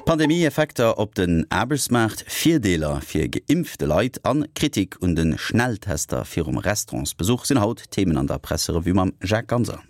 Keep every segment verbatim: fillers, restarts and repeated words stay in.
Pandemie-Effekter op den Aarbechtsmaart, Virdeeler fir geimpfte Leit an Kritik un de Schnelltester virum Restaurantsbesuch sinn haut Themen an der Presserevue mam Jacques Ganser.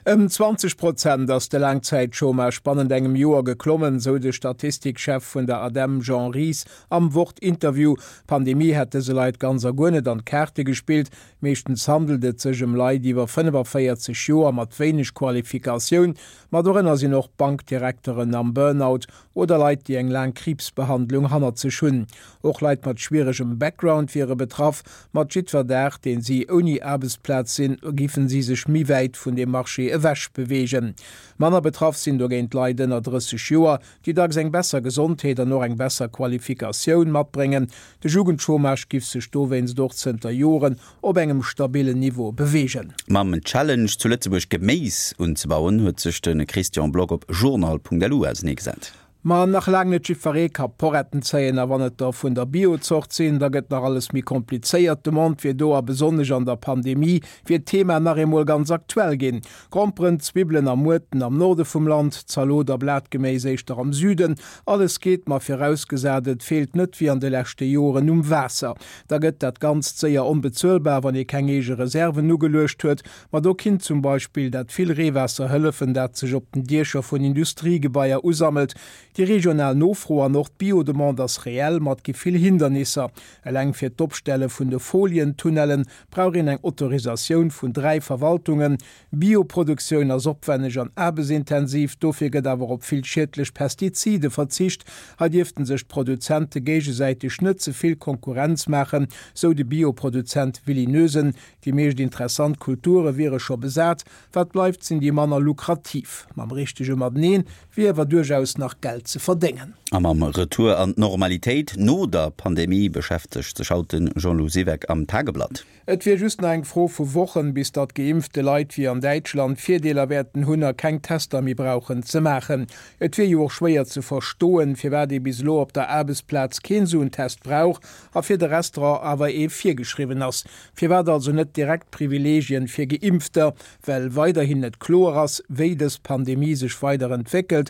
Ëm zwanzeg Prozent ass de Laangzäitchômage bannent engem Joer geklommen, sou de Statistikchef vun der ADEM Jean Ries am Wort-Interview. D'Pandemie hätt dëse Leit ganz a guer net an d'Kaarte gespillt. Meeschtens handelt et sech ëm Leit iwwer fënnefaféierzeg Joer mat wéineg Qualifikatioun, ma dorënner sinn och Bankdirekteren am Burnout oder Leit, déi eng laang Kriibsbehandlung hannert sech hunn. Och Leit mat schwieregem Background wiere betraff. Mat jiddwer Dag, deen si ouni Aarbechtsplaz sinn, giffen si sech méi wäit vun deem Marché ewech beweegen. Manner betraff sinn dogéint Leit ënner drësseg Joer, déi dacks eng besser Gesondheet an och eng besser Qualifikatioun matbréngen. De Jugendchômage giff sech dowéinst och zënter Joren op engem stabillen Niveau beweegen. Mam Challenge zu Lëtzebuerg Geméis unzebauen huet sech de Christian Block op journal Punkt L U auserneegesat. Ma nach laang net jiddweree ka Poretten zéien, a wann et der vun der Bio-Zort sinn, da gëtt nach alles méi komplizéiert. D'Demande wier do a besonnesch an der Pandemie wier d'Thema nach eemol ganz aktuell ginn. Gromperen, Zwibbelen a Muerten am Norde vum Land, Zalot a Blatgeméis éischter am Süden. Alles geet, ma virausgesat et feelt net wéi an de leschte Joren um Waasser. Da gëtt dat Ganzt séier onbezuelbar, wann ee keng eege Reserven ugeluecht huet. Ma do kinnt zum Beispill dat vill Reewaasser hëllefen, dat sech op den Diecher vun Industriegebaier usammelt. Déi regional Nofro an och d'Bio-Demande ass reell, ma et gi vill Hindernisser. Eleng fir d'Opstelle vun de Folientunnelle brauch een eng Autorisatioun vun dräi Verwaltungen. Bioproduktioun ass opwenneg an aarbechtsintensiv, dofir gëtt awer op vill schiedlech Pestizide verzicht. Hei dierften sech d'Produzente géigesäiteg net ze vill Konkurrenz maachen, sou de Bioproduzent Willy Noesen. Déi meescht interessant Kulture wiere scho besat, wat bleift sinn déi manner lukrativ. Mam richtege Mateneen wier awer duerchaus nach Geld ze verdéngen. A mam Retour an d'Normalitéit no der Pandemie beschäftegt sech haut de Jean-Lou Siweck am Tageblatt. Et wier just nach eng Fro vu Wochen, bis datt geimpfte Leit wéi an Däitschland Virdeeler wäerten hunn a keng Tester méi brauchen ze maachen. Et wier jo och schwéier ze verstoen, firwat ee bis elo op der Aarbechtsplaz keen esou en Test brauch a fir de Restaurant awer ee virgeschriwwen ass. Firwat also net direkt Privileegien fir Geimpfter? Well weiderhin net kloer ass, wéi dës Pandemie sech weider entwéckelt.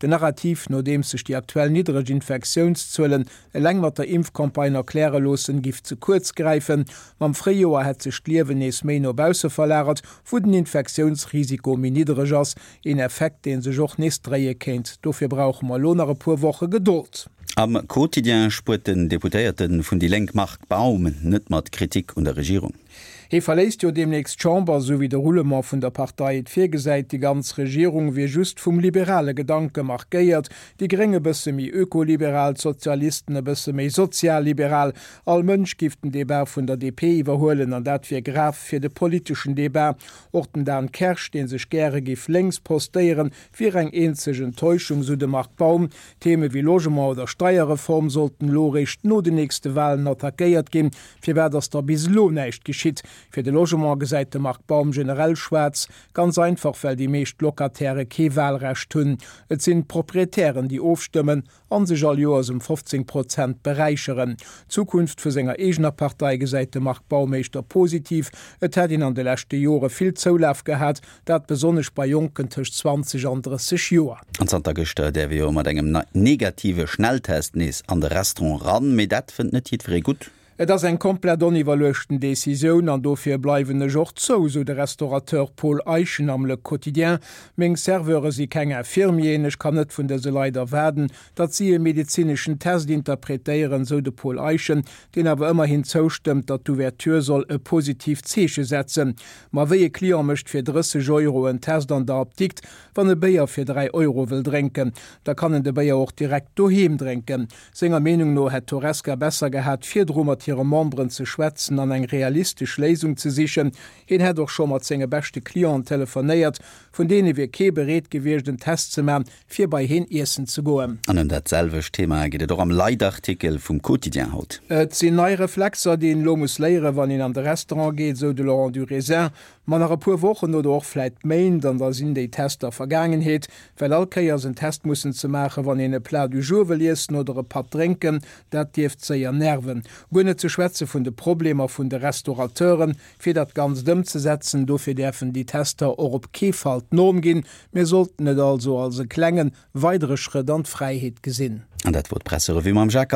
Den Narrativ, nodeems sech déi aktuell niddreg Infektiounszuelen eleng mat der Impfcampagne erkläre loossen, giff ze kuerz gräifen. Mam Fréijoer hätt sech d'Liewen nees méi no bausse verlagert, wou den Infektiounsrisiko méi niddreg ass. Een Effekt, dee sech och nees dréie kéint. Dofir brauche mer elo nach e puer Woche Gedold. Am Quotidien spuert den Deputéierte vun déi Lénk Marc Baum net mat Kritik un der Regierung. Hie verléisst jo deemnächst d'Chamber, esou wéi de Roulement vun der Partei et virgesäit. Déi ganz Regierung wier just vum liberale Gedanke markéiert, déi Gréng e bësse méi ökoliberal, d'Sozialisten e bësse méi sozialliberal. All Mënsch giff den Debat vun der D P iwwerhuelen an dat wier grav fir de politeschen Debat. Och den Dan Kersch, dee sech gäre giff lénks postéieren, wier eng eenzeg Enttäuschung, sou de Marc Baum. Theme wéi Logement oder Steierreform sollten elo eréischt no den nächste Walen attackéiert ginn. Firwat ass da bis elo näischt geschitt? Fir de Logement gesäit de Marc Baum generell schwaarz, ganz einfach well déi meescht Locatairë kee Walrecht hunn. Et sinn d'Proprietären déi ofstëmmen a sech all Joers ëm fofzéng Prozent beräicheren. D'Zukunft vu senger eegener Partei gesäit de Marc Baum éischter positiv. Et hätt een an de leschte Jore vill Zoulaf gehat, dat besonnesch bei Jonken tëscht zwanzeg an drësseg Joer. An zanter gëschter däerf ee jo mat engem negative Schnelltest nees an de Restaurant ran, mee dat fënnt net jiddweree gutt. Et ass eng komplett oniwwerluechten Decisioun an dofir bleiwen ech och zou, sou de Restaurateur Paul Eischen am Le Quotidien. Meng Serveure si keng Infirmieren, ech kann net vun dëse Leit erwaarden, datt si e medezineschen Test interpretéieren, sou de Paul Eischen, deen awer ëmmerhin zoustëmmt, datt d'Ouverture soll e positiivt Zeeche setzen. Ma wéi e Client mécht fir drësseg Euro en Test an der Apdikt, wann e Béier fir dräi Euro wëll drénken? Da kann en de Béier och direkt doheem drénken. Senger Meenung no hätt d'Horesca besser gehat, virdru mat hire Memberen ze schwätzen an eng realistesch Léisung ze sichen. Hien hätt och scho mat senge beschte Clienten telefonéiert, vun deene wier kee bereet gewiescht, en Test ze man, fir bei hien iessen ze goen. An ëm dat selwecht Thema geet et och am Leitartikel vum Quotidien haut. Et sinn nei Reflexer, déi een elo muss léieren, wann een an de Restaurant geet, sou de Laurent Durisin. Ma nach e puer Wochen oder och vläit Méint an da sinn déi Tester Vergaangenheet, well all Kéiers en Test mussen ze maachen, wann een e Plat du jour wëll iessen oder e Patt drénken, dat dierft séier nerven. Guer net ze schwätze vun de Problemer vun de Restaurateuren, fir dat Ganzt ëmzesetzen. Dofir däerfen déi Tester och op kee Fall d'Norm ginn. Mir sollten et also als e klenge weidere Schrëtt an d'Fräiheet gesinn. An dat wor d'Presserevue mam Jacques.